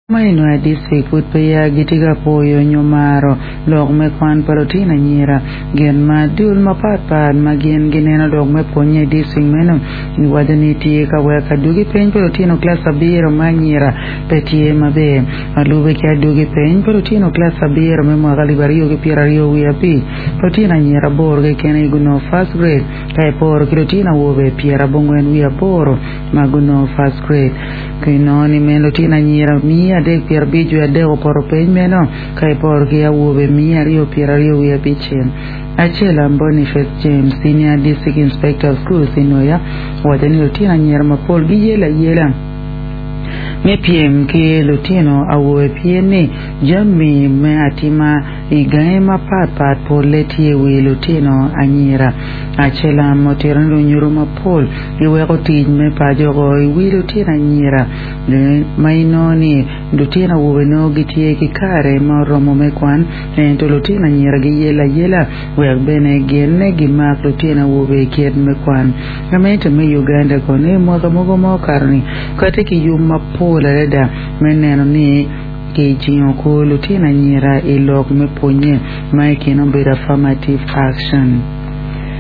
Ma i Nwoya District pud peya gitye ka pwoyo nyo maro lok me kwan pa lutino anyira. Gin ma dul mapat pat ma gin gineno lok me pwonye i district meno giwaco ni tye ka weko adwogi peny pa lutino kilac abiro me anyira pe tye maber. Ma lube ki adwogi peny pa lutino kilac abiro me mwaka alip aryo ki pyeraryo wiye abic, lutino anyira aboro keken aye gunongo first grade ka iporo ki lutino awobe pyerabongwen wiye aboro ma gunongo first grade. Kinongo ni meno lutino anyira miya adek pyerabic wiye adek opoto piny meno ka iporo ki awobe miya aryo pyeraryo wiye abicel. Acel Boniface James, Senior District Inspector of Schools i Nwoya, owaco ni lutino anyira mapol giyelo ayela me pyem ki lutino awobe pien ni jami me atima I gangi mapat pat polle tye i wi lutino anyira. Acelam otito ni lunyodo mapol giweko tic me paco oko i wi lutino anyira ma inongo ni lutino awobe nongo gitye ki kare ma oromo me kwan ento lutino anyira giyelle ayela wek bene gin gimak lutino awobe i kit me kwan. Gamente me Uganda kono i mwaka mogo ma okato-ni kati ki yub mapol adada me neno ni Kijingo kor lutino anyira i lok me pwonye ma i kine obedo affirmative action.